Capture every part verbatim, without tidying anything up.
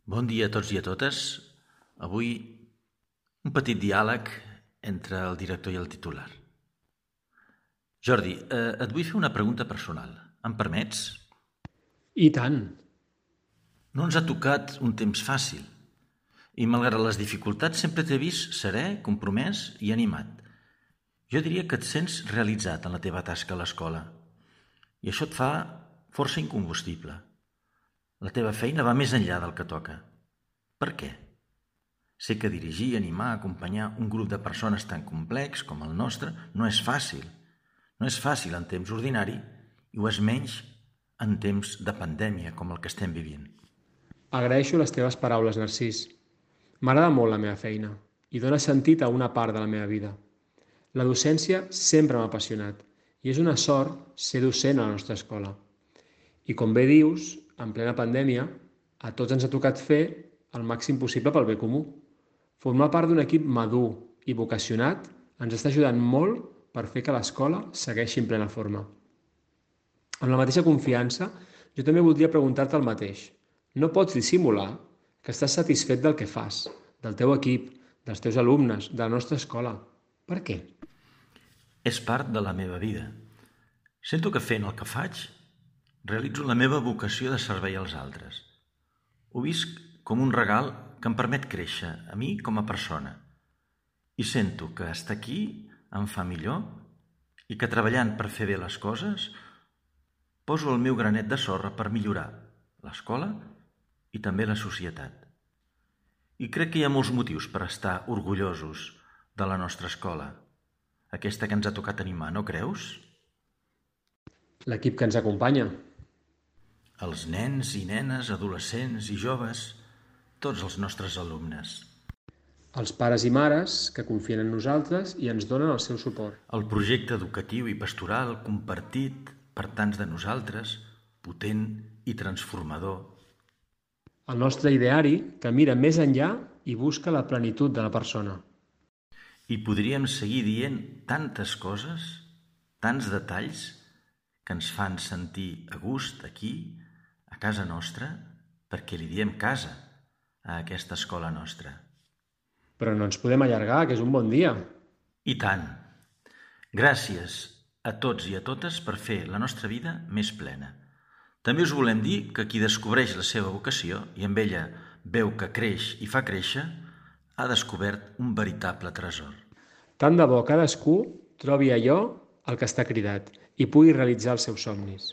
Bon dia a tots i a totes. Avui un petit diàleg entre el director i el titular. Jordi, eh, et vull fer una pregunta personal. Em permets? I tant. No ens ha tocat un temps fàcil i malgrat les dificultats sempre t'he vist serè, compromès i animat. Jo diria que et sents realitzat en la teva tasca a l'escola i això et fa força incombustible. La teva feina va més enllà del que toca. Per què? Sé que dirigir, animar, acompanyar un grup de persones tan complex com el nostre no és fàcil. No és fàcil en temps ordinari i ho és menys en temps de pandèmia com el que estem vivint. Agraeixo les teves paraules, Narcís. M'agrada molt la meva feina i dóna sentit a una part de la meva vida. La docència sempre m'ha apassionat i és una sort ser docent a la nostra escola. I com bé dius, en plena pandèmia, a tots ens ha tocat fer el màxim possible pel bé comú. Formar part d'un equip madur i vocacionat ens està ajudant molt per fer que l'escola segueixi en plena forma. Amb la mateixa confiança, jo també voldria preguntar-te el mateix. No pots dissimular que estàs satisfet del que fas, del teu equip, dels teus alumnes, de la nostra escola. Per què? És part de la meva vida. Sento que fent el que faig realitzo la meva vocació de servei als altres. Ho visc com un regal que em permet créixer a mi com a persona. I sento que estar aquí em fa millor i que treballant per fer bé les coses poso el meu granet de sorra per millorar l'escola i també la societat. I crec que hi ha molts motius per estar orgullosos de la nostra escola, aquesta que ens ha tocat animar, no creus? L'equip que ens acompanya. Els nens i nenes, adolescents i joves, tots els nostres alumnes. Els pares i mares que confien en nosaltres i ens donen el seu suport. El projecte educatiu i pastoral compartit per tants de nosaltres, potent i transformador. El nostre ideari que mira més enllà i busca la plenitud de la persona. I podríem seguir dient tantes coses, tants detalls, que ens fan sentir a gust aquí, a casa nostra, perquè li diem casa a aquesta escola nostra. Però no ens podem allargar, que és un bon dia. I tant! Gràcies a tots i a totes per fer la nostra vida més plena. També us volem dir que qui descobreix la seva vocació i amb ella veu que creix i fa créixer, ha descobert un veritable tresor. Tant de bo cadascú trobi allò al que està cridat i pugui realitzar els seus somnis.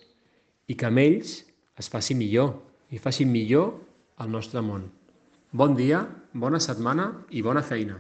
I que amb ells es faci millor i faci millor el nostre món. Bon dia, bona setmana i bona feina.